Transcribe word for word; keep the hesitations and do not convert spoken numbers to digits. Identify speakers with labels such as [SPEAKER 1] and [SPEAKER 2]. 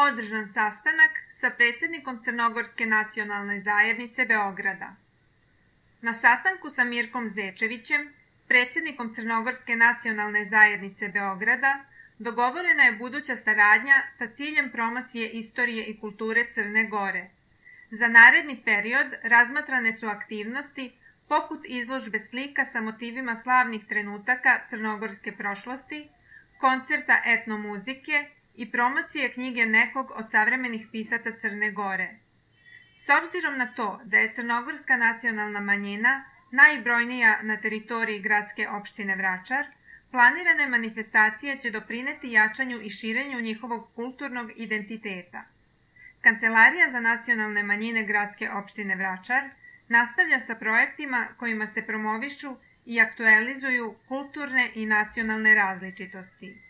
[SPEAKER 1] održan sastanak sa predsjednikom Crnogorske nacionalne zajednice Beograda. Na sastanku sa Mirkom Zečevićem, predsjednikom Crnogorske nacionalne zajednice Beograda, dogovorena je buduća saradnja sa ciljem promocije istorije i kulture Crne Gore. Za naredni period razmatrane su aktivnosti poput izložbe slika sa motivima slavnih trenutaka crnogorske prošlosti, koncerta etnomuzike i promocije knjige nekog od savremenih pisaca Crne Gore. S obzirom na to da je crnogorska nacionalna manjina najbrojnija na teritoriji gradske opštine Vračar, planirane manifestacije će doprineti jačanju i širenju njihovog kulturnog identiteta. Kancelarija za nacionalne manjine gradske opštine Vračar nastavlja sa projektima kojima se promovišu i aktualizuju kulturne i nacionalne različitosti.